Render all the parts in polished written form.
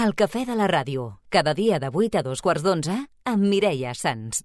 El cafè de la ràdio, cada dia de 8 a 2:15 amb Mireia Sans.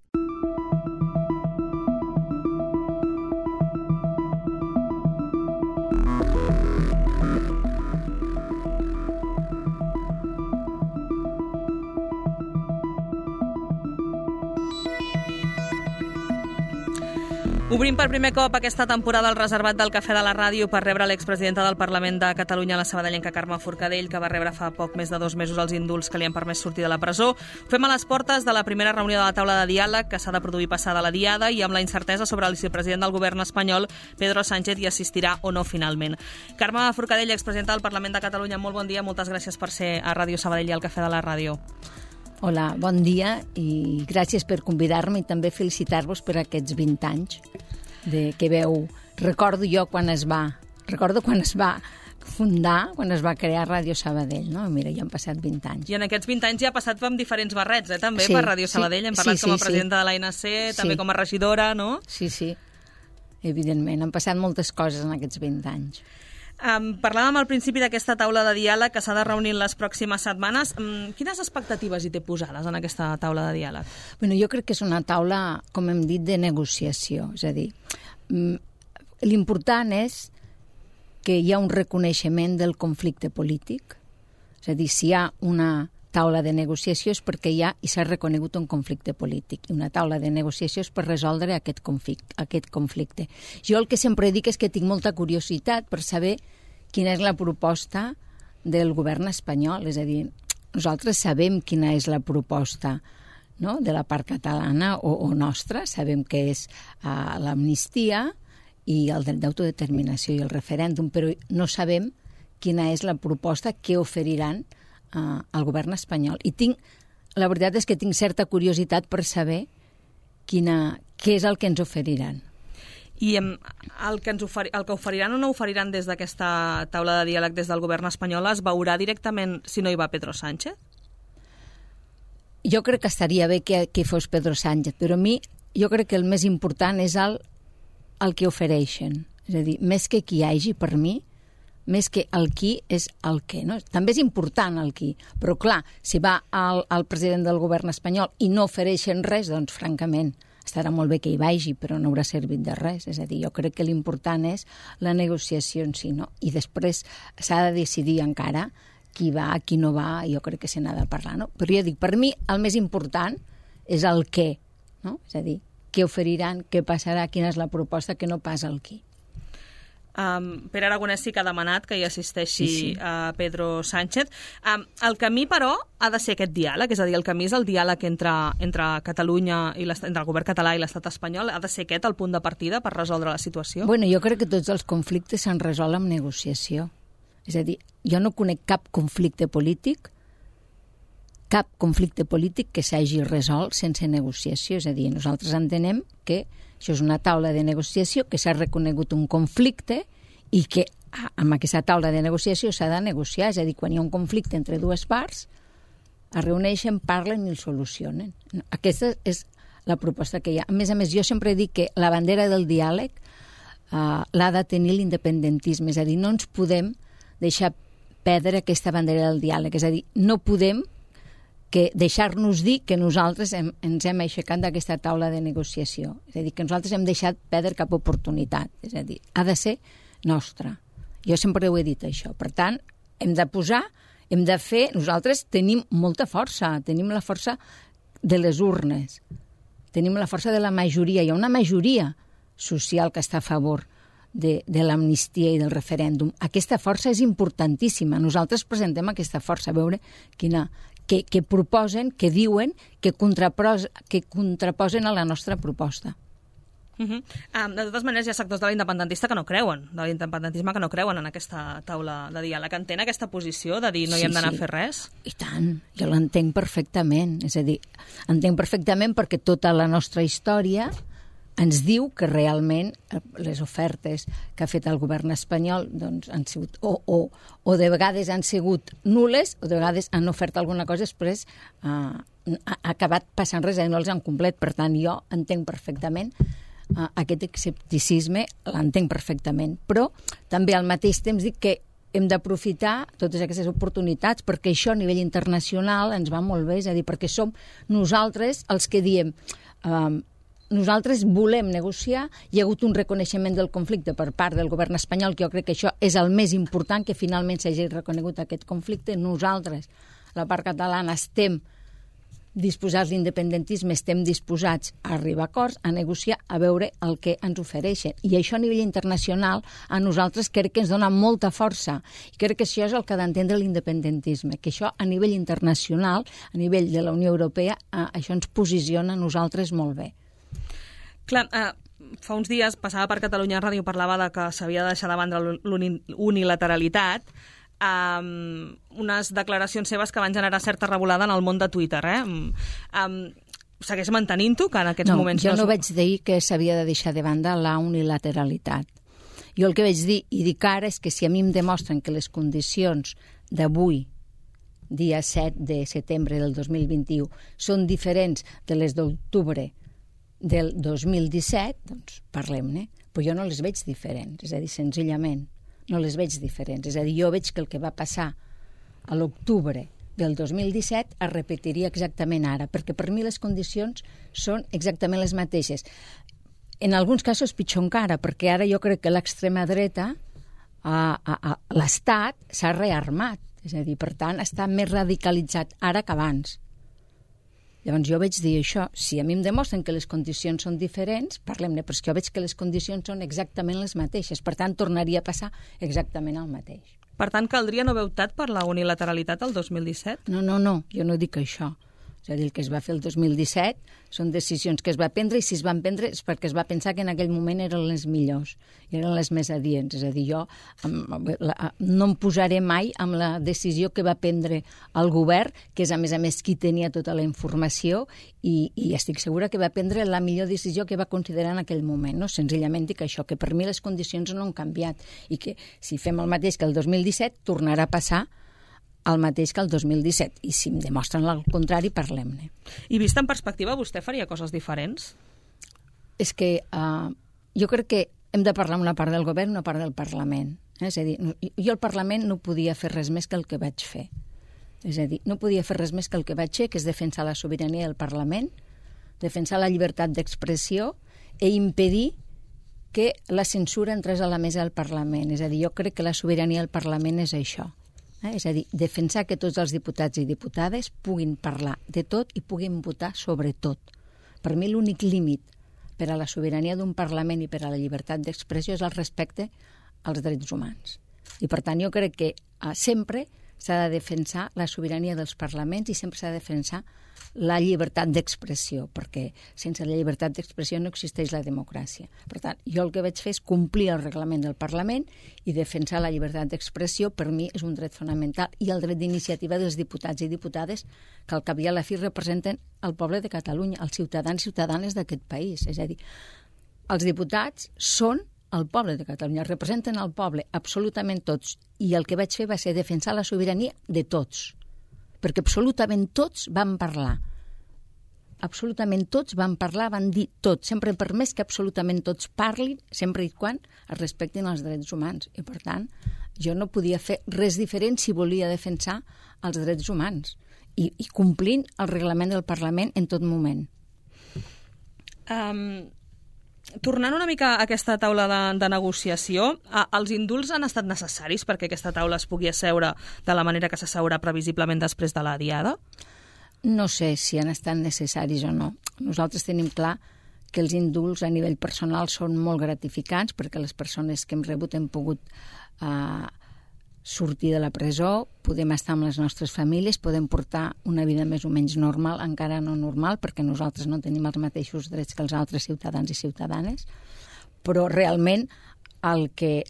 Obrim per primer cop aquesta temporada el reservat del Cafè de la Ràdio per rebre l'expresidenta del Parlament de Catalunya, la sabadellenca Carme Forcadell, que va rebre fa poc més de 2 mesos els indults que li han permès sortir de la presó. Ho fem a les portes de la primera reunió de la taula de diàleg que s'ha de produir passada la diada i amb la incertesa sobre el vicepresident del govern espanyol, Pedro Sánchez, hi assistirà o no finalment. Carme Forcadell, expresidenta del Parlament de Catalunya, molt bon dia, moltes gràcies per ser a Ràdio Sabadell i al Cafè de la Ràdio. Hola, bon dia i gràcies per convidar-me i també felicitar-vos per aquests 20 anys que veu. Recordo quan es va fundar, quan es va crear Ràdio Sabadell, no? Mira, ja han passat 20 anys. I en aquests 20 anys ja ha passat amb diferents barrets, també, per Ràdio Sabadell. Hem parlat com a presidenta de l'ANC, també com a regidora, no? Sí, evidentment. Han passat moltes coses en aquests 20 anys. Parlàvem al principi d'aquesta taula de diàleg que s'ha de reunir en les pròximes setmanes. Quines expectatives hi té posades en aquesta taula de diàleg? Bueno, jo crec que és una taula, com hem dit, de negociació. És a dir, l'important és que hi ha un reconeixement del conflicte polític. És a dir, si hi ha una taula de negociació és perquè hi ha i s'ha reconegut un conflicte polític. I una taula de negociació és per resoldre aquest conflicte. Jo el que sempre dic és que tinc molta curiositat per saber quina és la proposta del govern espanyol. És a dir, nosaltres sabem quina és la proposta, no?, de la part catalana o nostra. Sabem que és l'amnistia i el dret d'autodeterminació i el referèndum, però no sabem quina és la proposta que oferiran al govern espanyol. I la veritat és que tinc certa curiositat per saber què és el que ens oferiran. I el que oferiran o no oferiran des d'aquesta taula de diàleg des del govern espanyol es veurà directament si no hi va Pedro Sánchez? Jo crec que estaria bé que fos Pedro Sánchez, però a mi jo crec que el més important és el que ofereixen. És a dir, més que qui hi hagi, per mi, més que el qui és el què, no? També és important el qui, però clar, si va al president del govern espanyol i no ofereixen res, doncs francament estarà molt bé que hi vagi, però no haurà servit de res. És a dir, jo crec que l'important és la negociació en si, no? I després s'ha de decidir encara qui va, qui no va, jo crec que se n'ha de parlar, no? Però jo dic, per mi el més important és el què, no? És a dir, què oferiran, què passarà, quina és la proposta, que no pas el qui. Pere Aragonès sí que ha demanat que hi assisteixi Pedro Sánchez. El camí, però, ha de ser aquest diàleg, és a dir, el camí és el diàleg entre Catalunya i entre el govern català i l'estat espanyol. Ha de ser aquest el punt de partida per resoldre la situació? Bueno, jo crec que tots els conflictes s'han resolt amb negociació. És a dir, jo no conec cap conflicte polític que s'hagi resolt sense negociació. És a dir, nosaltres entenem que això és una taula de negociació, que s'ha reconegut un conflicte i que amb aquesta taula de negociació s'ha de negociar. És a dir, quan hi ha un conflicte entre dues parts, es reuneixen, parlen i el solucionen. Aquesta és la proposta que hi ha. A més, jo sempre dic que la bandera del diàleg l'ha de tenir l'independentisme. És a dir, no ens podem deixar perdre aquesta bandera del diàleg. És a dir, no podem deixar-nos dir que nosaltres ens hem aixecat d'aquesta taula de negociació. És a dir, que nosaltres hem deixat perdre cap oportunitat. És a dir, ha de ser nostra. Jo sempre ho he dit, això. Per tant, hem de fer... Nosaltres tenim molta força. Tenim la força de les urnes. Tenim la força de la majoria. Hi ha una majoria social que està a favor de l'amnistia i del referèndum. Aquesta força és importantíssima. Nosaltres presentem aquesta força, a veure que proposen, que diuen, que contraposen a la nostra proposta. De totes maneres, hi ha sectors de l'independentisme que no creuen en aquesta taula de diàleg. Entén aquesta posició de dir no hi hem d'anar a fer res? I tant, jo l'entenc perfectament. És a dir, entenc perfectament perquè tota la nostra història ens diu que realment les ofertes que ha fet el govern espanyol doncs, han sigut o de vegades han sigut nules o de vegades han ofert alguna cosa després ha acabat passant res i no els han complet. Per tant, jo entenc perfectament aquest escepticisme, l'entenc perfectament, però també al mateix temps dic que hem d'aprofitar totes aquestes oportunitats, perquè això a nivell internacional ens va molt bé, és a dir, perquè som nosaltres els que diem nosaltres volem negociar, hi ha hagut un reconeixement del conflicte per part del govern espanyol, que jo crec que això és el més important, que finalment s'hagi reconegut aquest conflicte. Nosaltres, la part catalana, estem disposats a l'independentisme, estem disposats a arribar a acords, a negociar, a veure el que ens ofereixen. I això a nivell internacional a nosaltres crec que ens dona molta força. I crec que això és el que ha d'entendre l'independentisme, que això a nivell internacional, a nivell de la Unió Europea, això ens posiciona a nosaltres molt bé. Clar, fa uns dies passava per Catalunya Ràdio, parlava de que s'havia de deixar de banda l'unilateralitat, unes declaracions seves que van generar certa revolada en el món de Twitter. Segueix mantenint-ho, que en aquests moments... Jo no vaig dir que s'havia de deixar de banda la unilateralitat. Jo el que vaig dir, i dic ara, és que si a mi em demostren que les condicions d'avui, dia 7 de setembre del 2021, són diferents de les d'octubre del 2017, doncs parlem-ne. Però jo no les veig diferents, és a dir, senzillament, no les veig diferents. És a dir, jo veig que el que va passar a l'octubre del 2017 es repetiria exactament ara, perquè per mi les condicions són exactament les mateixes. En alguns casos pitjor encara, perquè ara jo crec que l'extrema dreta, l'Estat s'ha rearmat, és a dir, per tant, està més radicalitzat ara que abans. Llavors jo vaig dir això, si a mi em demostren que les condicions són diferents, parlem-ne, però és que jo veig que les condicions són exactament les mateixes, per tant tornaria a passar exactament el mateix. Per tant, caldria no haver optat per la unilateralitat el 2017? No, jo no dic això. És a dir, el que es va fer el 2017 són decisions que es va prendre, i si es van prendre és perquè es va pensar que en aquell moment eren les millors, i eren les més adients. És a dir, jo no em posaré mai amb la decisió que va prendre el govern, que és a més qui tenia tota la informació, i estic segura que va prendre la millor decisió que va considerar en aquell moment. No? Senzillament dic això, que per mi les condicions no han canviat, i que si fem el mateix que el 2017 tornarà a passar el mateix que el 2017, i si em demostren el contrari, parlem-ne. I vist en perspectiva, vostè faria coses diferents? És que jo crec que hem de parlar amb una part del govern i una part del Parlament. És a dir, jo al Parlament no podia fer res més que el que vaig fer. És a dir, no podia fer res més que el que vaig fer, que és defensar la sobirania del Parlament, defensar la llibertat d'expressió i impedir que la censura entrés a la mesa del Parlament. És a dir, jo crec que la sobirania del Parlament és això. És a dir, defensar que tots els diputats i diputades puguin parlar de tot i puguin votar sobre tot. Per mi l'únic límit per a la sobirania d'un Parlament i per a la llibertat d'expressió és el respecte als drets humans. I per tant jo crec que sempre s'ha de defensar la sobirania dels parlaments i sempre s'ha de defensar la llibertat d'expressió, perquè sense la llibertat d'expressió no existeix la democràcia. Per tant, jo el que vaig fer és complir el reglament del Parlament i defensar la llibertat d'expressió. Per mi és un dret fonamental, i el dret d'iniciativa dels diputats i diputades, que al cap i a la fi representen el poble de Catalunya, els ciutadans i ciutadanes d'aquest país. És a dir, els diputats són el poble de Catalunya, representen el poble absolutament tots, i el que vaig fer va ser defensar la sobirania de tots, perquè absolutament tots van parlar. Absolutament tots van parlar, van dir tot. Sempre he permès que absolutament tots parlin, sempre i quan es respectin els drets humans. I, per tant, jo no podia fer res diferent si volia defensar els drets humans i complint el reglament del Parlament en tot moment. Tornant una mica a aquesta taula de negociació, els indults han estat necessaris perquè aquesta taula es pugui asseure de la manera que s'asseurà previsiblement després de la diada? No sé si han estat necessaris o no. Nosaltres tenim clar que els indults a nivell personal són molt gratificants, perquè les persones que hem rebut hem pogut sortir de la presó, podem estar amb les nostres famílies, podem portar una vida més o menys normal, encara no normal, perquè nosaltres no tenim els mateixos drets que els altres ciutadans i ciutadanes, però realment el que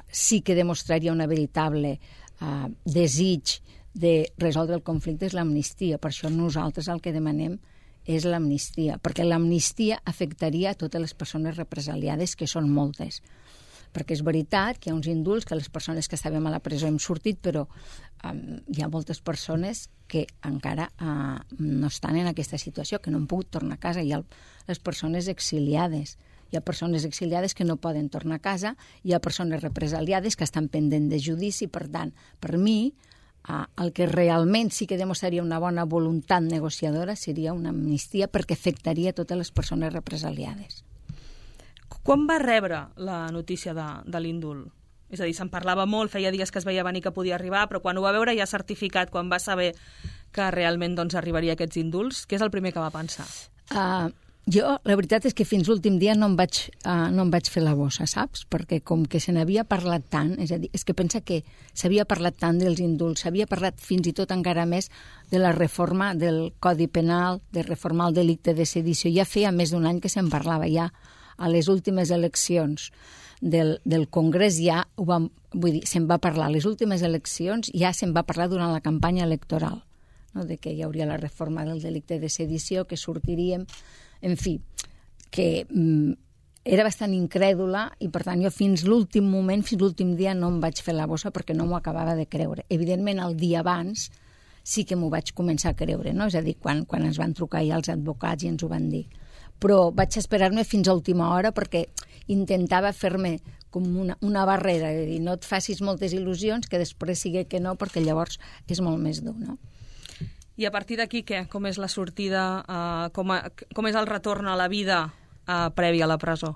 sí que demostraria una veritable desig de resoldre el conflicte és l'amnistia. Per això nosaltres el que demanem és l'amnistia, perquè l'amnistia afectaria a totes les persones represaliades, que són moltes. Perquè és veritat que hi ha uns indults que les persones que estàvem a la presó hem sortit, però hi ha moltes persones que encara no estan en aquesta situació, que no han pogut tornar a casa. Hi ha les persones exiliades, hi Hi ha persones exiliades que no poden tornar a casa, hi ha persones represaliades que estan pendents de judici. Per tant, per mi, el que realment sí que demostraria una bona voluntat negociadora seria una amnistia, perquè afectaria totes les persones represaliades. Quan va rebre la notícia de l'indult? És a dir, se'n parlava molt, feia dies que es veia venir que podia arribar, però quan ho va veure ja certificat, quan va saber que realment arribaria aquests indults, què és el primer que va pensar? Jo, la veritat és que fins l'últim dia no em vaig fer la bossa, saps? Perquè com que se n'havia parlat tant, és a dir, és que pensa que s'havia parlat tant dels indults, s'havia parlat fins i tot encara més de la reforma del Codi Penal, de reformar el delicte de sedició. Ja feia més d'un any que se'n parlava, ja a les últimes eleccions del Congrés ja se'n va parlar. A les últimes eleccions ja se'n va parlar durant la campanya electoral, no? De que hi hauria la reforma del delicte de sedició, que sortiríem... En fi, que era bastant incrèdula i, per tant, jo fins l'últim moment, fins l'últim dia, no em vaig fer la bossa perquè no m'ho acabava de creure. Evidentment, el dia abans sí que m'ho vaig començar a creure, no? És a dir, quan ens van trucar ja els advocats i ens ho van dir. Però vaig esperar-me fins a última hora perquè intentava fer-me com una barrera, de dir, no et facis moltes il·lusions, que després sigui que no, perquè llavors és molt més dur, no? I a partir d'aquí, què? Com és la sortida? Com és el retorn a la vida prèvia a la presó?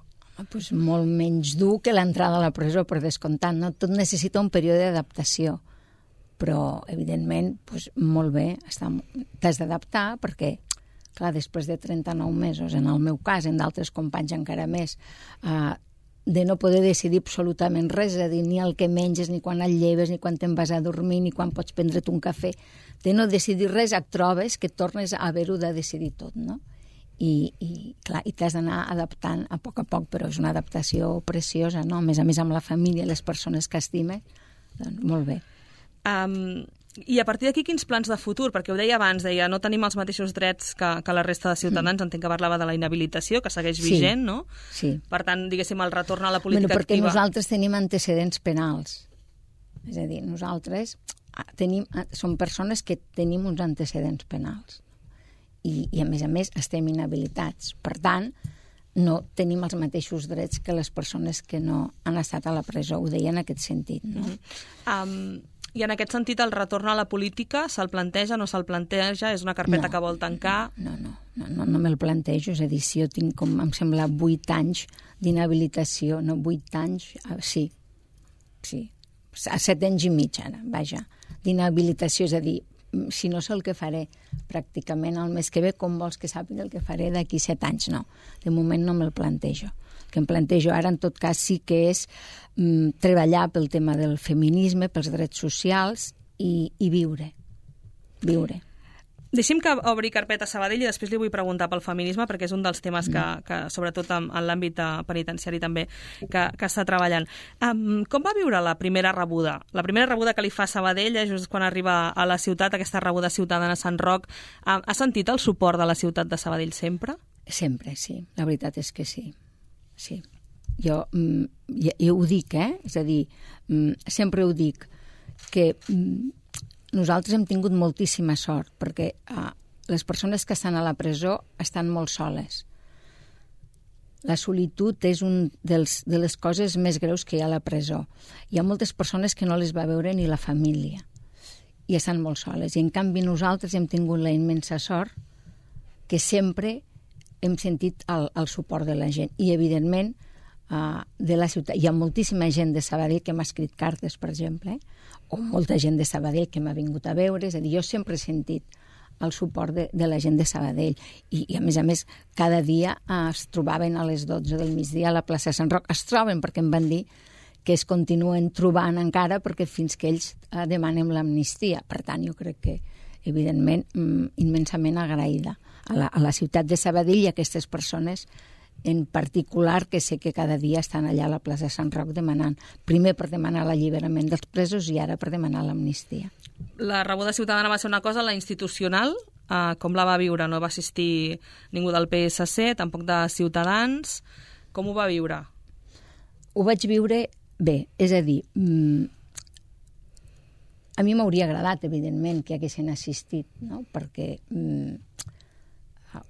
Pues molt menys dur que l'entrada a la presó, per descomptat. No? Tot necessita un període d'adaptació. Però, evidentment, pues, molt bé. T'has d'adaptar perquè, clar, després de 39 mesos, en el meu cas, en d'altres companys encara més, de no poder decidir absolutament res, és a dir, ni el que menges, ni quan et lleves, ni quan te'n vas a dormir, ni quan pots prendre't un cafè, de no decidir res, et trobes que tornes a haver-ho de decidir tot, no? I clar, i t'has d'anar adaptant a poc, però és una adaptació preciosa, no? A més amb la família i les persones que estimes, doncs molt bé. I a partir d'aquí, quins plans de futur? Perquè ho deia abans, no tenim els mateixos drets que la resta de ciutadans, entenc que parlava de la inhabilitació, que segueix vigent, no? Sí. Per tant, diguéssim, el retorn a la política perquè activa... nosaltres tenim antecedents penals. És a dir, nosaltres som persones que tenim uns antecedents penals. I a més, estem inhabilitats. Per tant, no tenim els mateixos drets que les persones que no han estat a la presó. Ho deia en aquest sentit, no? I en aquest sentit, el retorn a la política se'l planteja, no se'l planteja? És una carpeta que vol tancar? No me'l plantejo. És a dir, si jo tinc, com em sembla, 8 anys d'inhabilitació, no, 8 anys, sí, a 7 anys i mig, ara, vaja, d'inhabilitació, és a dir, si no sé el que faré pràcticament el mes que ve, com vols que sàpiga el que faré d'aquí 7 anys? No, de moment no me'l plantejo. El que em plantejo ara, en tot cas, sí que és treballar pel tema del feminisme, pels drets socials i viure. Deixi'm que obri carpeta a Sabadell i després li vull preguntar pel feminisme, perquè és un dels temes que sobretot en l'àmbit penitenciari també, que està treballant. Com va viure la primera rebuda? La primera rebuda que li fa Sabadell, just quan arriba a la ciutat, aquesta rebuda ciutadana a Sant Roc, ha sentit el suport de la ciutat de Sabadell sempre? Sempre, sí. La veritat és que sí. Sí. Jo ho dic, és a dir, sempre ho dic, que nosaltres hem tingut moltíssima sort, perquè les persones que estan a la presó estan molt soles. La solitud és una de les coses més greus que hi ha a la presó. Hi ha moltes persones que no les va veure ni la família i estan molt soles. I en canvi nosaltres hem tingut la immensa sort que sempre hem sentit el suport de la gent. I, evidentment, de la ciutat. Hi ha moltíssima gent de Sabadell que m'ha escrit cartes, per exemple, o molta gent de Sabadell que m'ha vingut a veure. És a dir, jo sempre he sentit el suport de la gent de Sabadell. I a més, cada dia es trobaven a les 12 del migdia a la plaça de Sant Roc. Es troben perquè em van dir que es continuen trobant encara perquè fins que ells demanem l'amnistia. Per tant, jo crec que, evidentment, immensament agraïda a la ciutat de Sabadell i a aquestes persones en particular, que sé que cada dia estan allà a la plaça de Sant Roc demanant, primer per demanar l'alliberament dels presos i ara per demanar l'amnistia. La rebuda ciutadana va ser una cosa, la institucional, com la va viure? No va assistir ningú del PSC, tampoc de Ciutadans. Com ho va viure? Ho vaig viure bé, és a dir, a mi m'hauria agradat, evidentment, que haguessin assistit, no? Perquè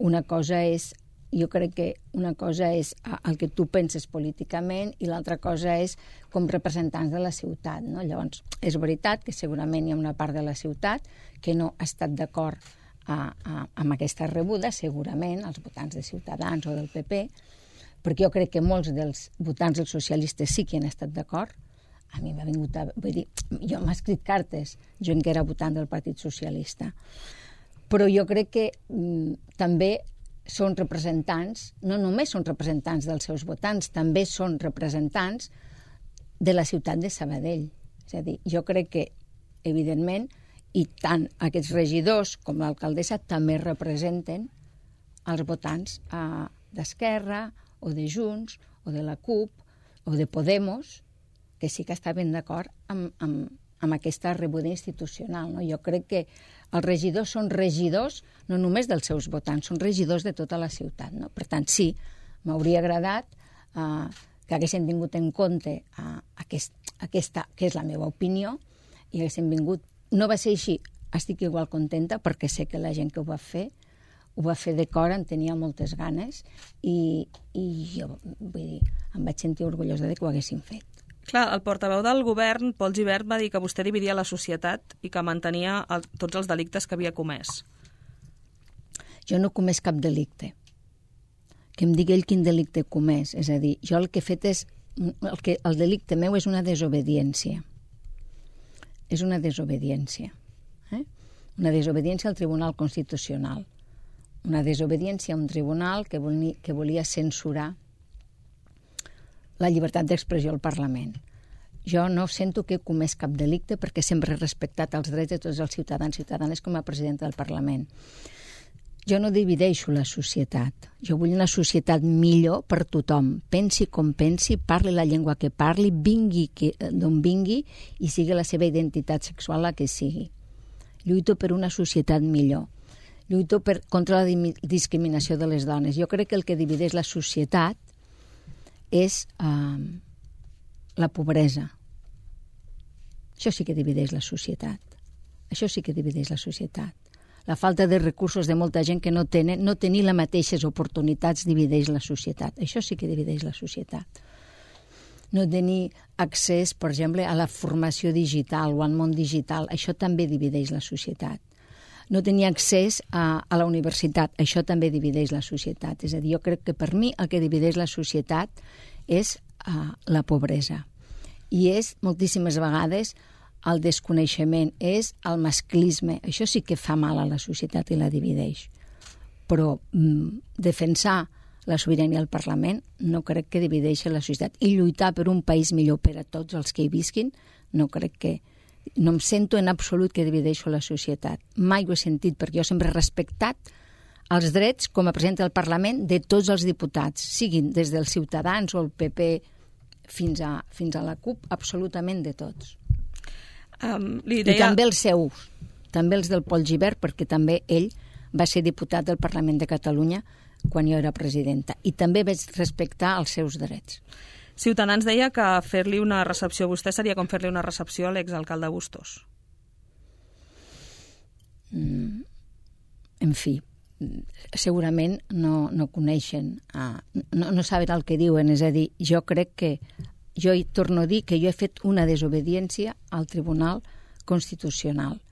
una cosa és jo crec que una cosa és el que tu penses políticament i l'altra cosa és com representants de la ciutat, no? Llavors, és veritat que segurament hi ha una part de la ciutat que no ha estat d'acord amb aquesta rebuda, segurament, els votants de Ciutadans o del PP, perquè jo crec que molts dels votants dels socialistes sí que han estat d'acord. A mi m'ha vingut vull dir, jo m'he escrit cartes, jo que era votant del Partit Socialista. Però jo crec que també són representants, no només són representants dels seus votants, també són representants de la ciutat de Sabadell. És a dir, jo crec que, evidentment, i tant aquests regidors com l'alcaldessa també representen els votants d'Esquerra o de Junts o de la CUP o de Podemos, que sí que estaven d'acord amb aquesta rebuda institucional. No? Jo crec que els regidors són regidors no només dels seus votants, són regidors de tota la ciutat. No? Per tant, sí, m'hauria agradat que haguessin tingut en compte aquesta, que és la meva opinió, i haguessin vingut. No va ser així, estic igual contenta perquè sé que la gent que ho va fer de cor, en tenia moltes ganes i jo vull dir, em vaig sentir orgullosa de que ho haguessin fet. Clar, el portaveu del govern, Pol Gibert, va dir que vostè dividia la societat i que mantenia tots els delictes que havia comès. Jo no he comès cap delicte. Que em digui ell quin delicte he comès. És a dir, jo el que he fet és... El delicte meu és una desobediència. És una desobediència. Una desobediència al Tribunal Constitucional. Una desobediència a un tribunal que volia censurar la llibertat d'expressió al Parlament. Jo no sento que he comès cap delicte perquè sempre he respectat els drets de tots els ciutadans i ciutadanes com a presidenta del Parlament. Jo no divideixo la societat. Jo vull una societat millor per tothom. Pensi com pensi, parli la llengua que parli, vingui d'on vingui i sigui la seva identitat sexual la que sigui. Lluito per una societat millor. Lluito contra la discriminació de les dones. Jo crec que el que divideix la societat és la pobresa. Això sí que divideix la societat. Això sí que divideix la societat. La falta de recursos de molta gent que no tenir les mateixes oportunitats divideix la societat. Això sí que divideix la societat. No tenir accés, per exemple, a la formació digital o al món digital, això també divideix la societat. No tenir accés a la universitat, això també divideix la societat. És a dir, jo crec que per mi el que divideix la societat és la pobresa. I és moltíssimes vegades el desconeixement, és el masclisme. Això sí que fa mal a la societat i la divideix. Però defensar la sobirania al Parlament no crec que divideixi la societat. I lluitar per un país millor per a tots els que hi visquin, no crec que... No em sento en absolut que divideixo la societat. Mai ho he sentit, perquè jo sempre he respectat els drets com a presidenta del Parlament de tots els diputats, siguin des dels Ciutadans o el PP fins a la CUP, absolutament de tots. I també els seus, també els del Pol Gibert, perquè també ell va ser diputat del Parlament de Catalunya quan jo era presidenta, i també vaig respectar els seus drets. Ciutadans deia que fer-li una recepció a vostè seria com fer-li una recepció a l'exalcalde Bustos. En fi, segurament no coneixen, no saben el que diuen. És a dir, jo crec que, jo hi torno a dir que jo he fet una desobediència al Tribunal Constitucional.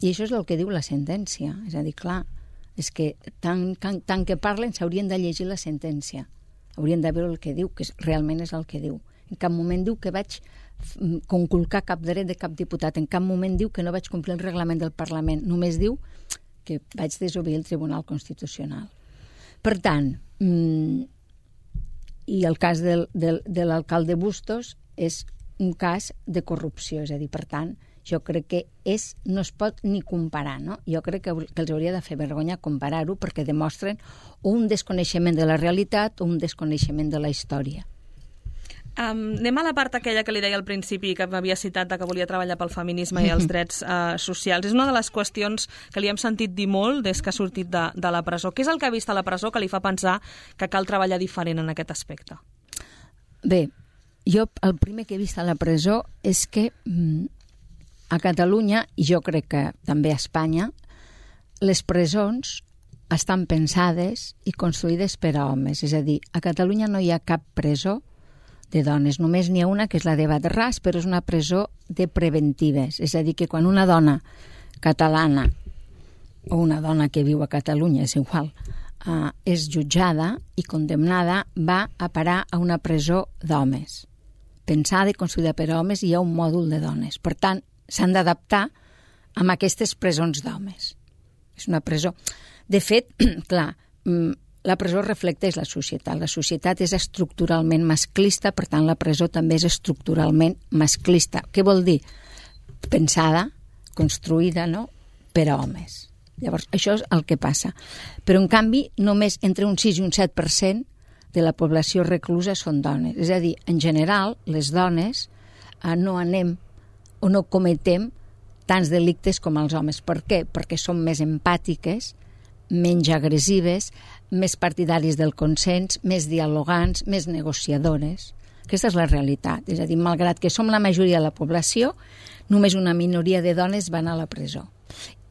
I això és el que diu la sentència. És a dir, clar, és que tant que parlen s'haurien de llegir la sentència. Haurien de veure el que diu, que realment és el que diu. En cap moment diu que vaig conculcar cap dret de cap diputat, en cap moment diu que no vaig complir el reglament del Parlament, només diu que vaig desobeir el Tribunal Constitucional. Per tant, i el cas de l'alcalde Bustos és un cas de corrupció, és a dir, per tant, jo crec que no es pot ni comparar, no? Jo crec que els hauria de fer vergonya comparar-ho perquè demostren un desconeixement de la realitat o un desconeixement de la història. Anem a la part aquella que li deia al principi, que m'havia citat que volia treballar pel feminisme i els drets socials. És una de les qüestions que li hem sentit dir molt des que ha sortit de la presó. Què és el que ha vist a la presó que li fa pensar que cal treballar diferent en aquest aspecte? Bé, jo el primer que he vist a la presó és que a Catalunya, i jo crec que també a Espanya, les presons estan pensades i construïdes per a homes. És a dir, a Catalunya no hi ha cap presó de dones. Només n'hi ha una, que és la de Badarràs, però és una presó de preventives. És a dir, que quan una dona catalana o una dona que viu a Catalunya, és igual, és jutjada i condemnada, va a parar a una presó d'homes. Pensada i construïda per a homes, i hi ha un mòdul de dones. Per tant, s'han d'adaptar amb aquestes presons d'homes. És una presó... De fet, clar, la presó reflecteix la societat. La societat és estructuralment masclista, per tant, la presó també és estructuralment masclista. Què vol dir? Pensada, construïda, no?, per a homes. Llavors, això és el que passa. Però, en canvi, només entre un 6 i un 7% de la població reclusa són dones. És a dir, en general, les dones no anem o no cometem tants delictes com els homes. Per què? Perquè som més empàtiques, menys agressives, més partidaris del consens, més dialogants, més negociadores. Aquesta és la realitat. És a dir, malgrat que som la majoria de la població, només una minoria de dones van a la presó.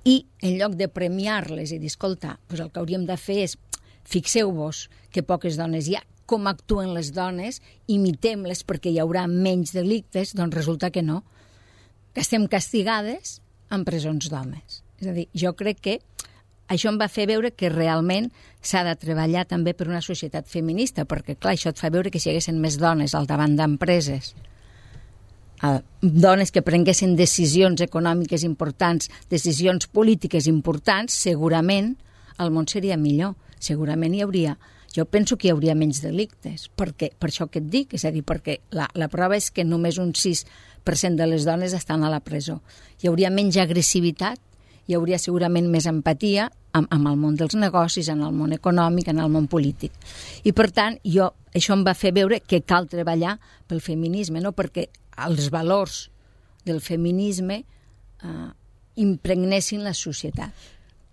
I en lloc de premiar-les i dir, escolta, doncs el que hauríem de fer és, fixeu-vos que poques dones hi ha, com actuen les dones, imitem-les perquè hi haurà menys delictes, doncs resulta que no, que estem castigades en presons d'homes. És a dir, jo crec que això em va fer veure que realment s'ha de treballar també per una societat feminista, perquè, clar, això et fa veure que si hi haguessin més dones al davant d'empreses, dones que prenguessin decisions econòmiques importants, decisions polítiques importants, segurament el món seria millor. Segurament hi hauria... Jo penso que hi hauria menys delictes, perquè, per això que et dic, és a dir, perquè la prova és que només un 6% de les dones estan a la presó. Hi hauria menys agressivitat, hi hauria segurament més empatia amb el món dels negocis, en el món econòmic, en el món polític. I, per tant, això em va fer veure que cal treballar pel feminisme, no? Perquè els valors del feminisme impregnessin la societat.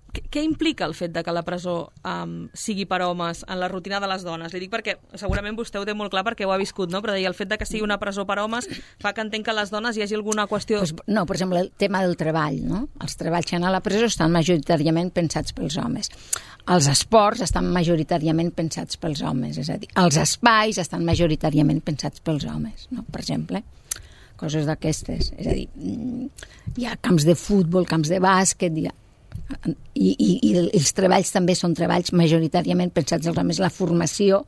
Què implica el fet de que la presó sigui per homes en la rutina de les dones? Li dic perquè segurament vostè ho té molt clar perquè ho ha viscut, no? Però deia, el fet de que sigui una presó per homes fa que entenc que a les dones hi hagi alguna qüestió... No, per exemple, el tema del treball, no? Els treballs que han a la presó estan majoritàriament pensats pels homes. Els esports estan majoritàriament pensats pels homes, és a dir, els espais estan majoritàriament pensats pels homes, no? Per exemple, coses d'aquestes. És a dir, hi ha camps de futbol, camps de bàsquet, i els treballs també són treballs majoritàriament pensats als homes, la formació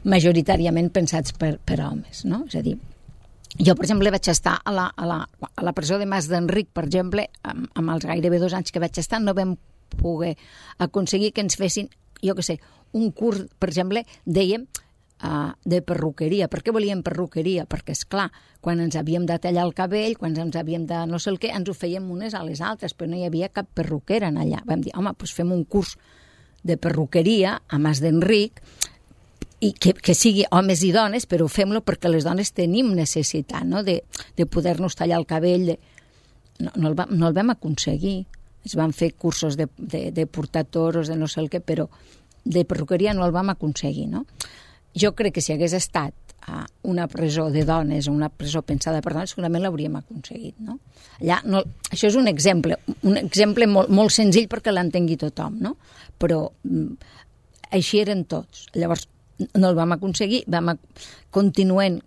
majoritàriament pensats per homes, no? És a dir, jo, per exemple, vaig estar a la presó de Mas d'Enric, per exemple, amb els gairebé 2 anys que vaig estar, no vam poder aconseguir que ens fessin, jo què sé, un curs, per exemple, dèiem, de perruqueria. Per què volíem perruqueria? Perquè, esclar, quan ens havíem de tallar el cabell, quan ens havíem de no sé el què, ens ho fèiem unes a les altres, però no hi havia cap perruquera allà. Vam dir, home, doncs fem un curs de perruqueria a Mas d'Enric, i que sigui homes i dones, però fem-lo perquè les dones tenim necessitat, no?, de poder-nos tallar el cabell. No el vam aconseguir. Es van fer cursos de portar toros, de no sé el què, però de perruqueria no el vam aconseguir, no? Jo crec que si hagués estat una presó de dones o una presó pensada per dones, segurament l'hauríem aconseguit, no? Allà, no, això és un exemple molt, molt senzill perquè l'entengui tothom, no? Però així eren tots. Llavors, no el vam aconseguir, continuem,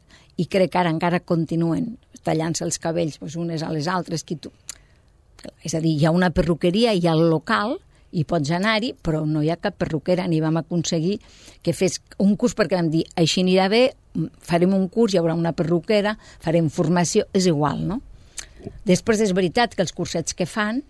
i crec que ara encara continuen tallant-se els cabells unes a les altres. És a dir, hi ha una perruqueria, hi ha el local, i pots anar-hi, però no hi ha cap perruquera, ni vam aconseguir que fes un curs perquè vam dir, així anirà bé, farem un curs, hi haurà una perruquera, farem formació, és igual, no? Després és veritat que els cursets que fan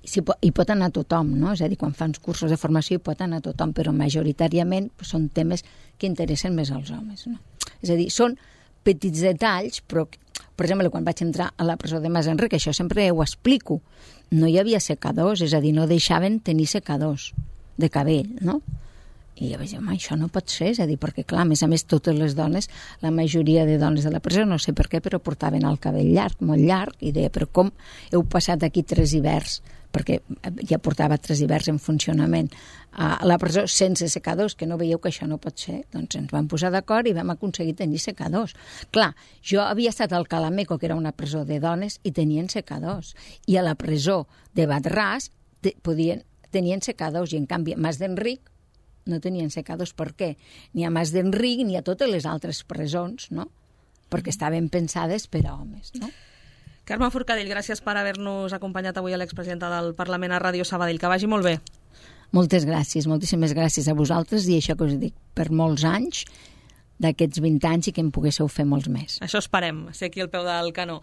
hi pot anar tothom, no? És a dir, quan fan cursos de formació hi pot anar tothom, però majoritàriament són temes que interessen més als homes, no? És a dir, són petits detalls, però, per exemple, quan vaig entrar a la presó de Mas d'Enric, això sempre ho explico, no hi havia secadors, és a dir, no deixaven tenir secadors de cabell, no? I jo vaig dir, home, això no pot ser, és a dir, perquè, clar, a més, totes les dones, la majoria de dones de la presó, no sé per què, però portaven el cabell llarg, molt llarg, i deia, però com heu passat aquí 3 hiverns, perquè ja portava 3 hiverns en funcionament a la presó sense secadors, que no veieu que això no pot ser? Doncs ens vam posar d'acord i vam aconseguir tenir secadors. Clar, jo havia estat al Calameco, que era una presó de dones, i tenien secadors. I a la presó de Badarràs tenien secados, i en canvi a Mas d'Enric no tenien secados. Per què? Ni a Mas d'Enric ni a totes les altres presons, no? Perquè estaven pensades per a homes, no? Carme Forcadell, gràcies per haver-nos acompanyat avui a l'expresidenta del Parlament a Ràdio Sabadell. Que vagi molt bé. Moltes gràcies, moltíssimes gràcies a vosaltres, i això que us dic, per molts anys, d'aquests 20 anys, i que en poguésseu fer molts més. Això esperem, ser aquí al peu del canó.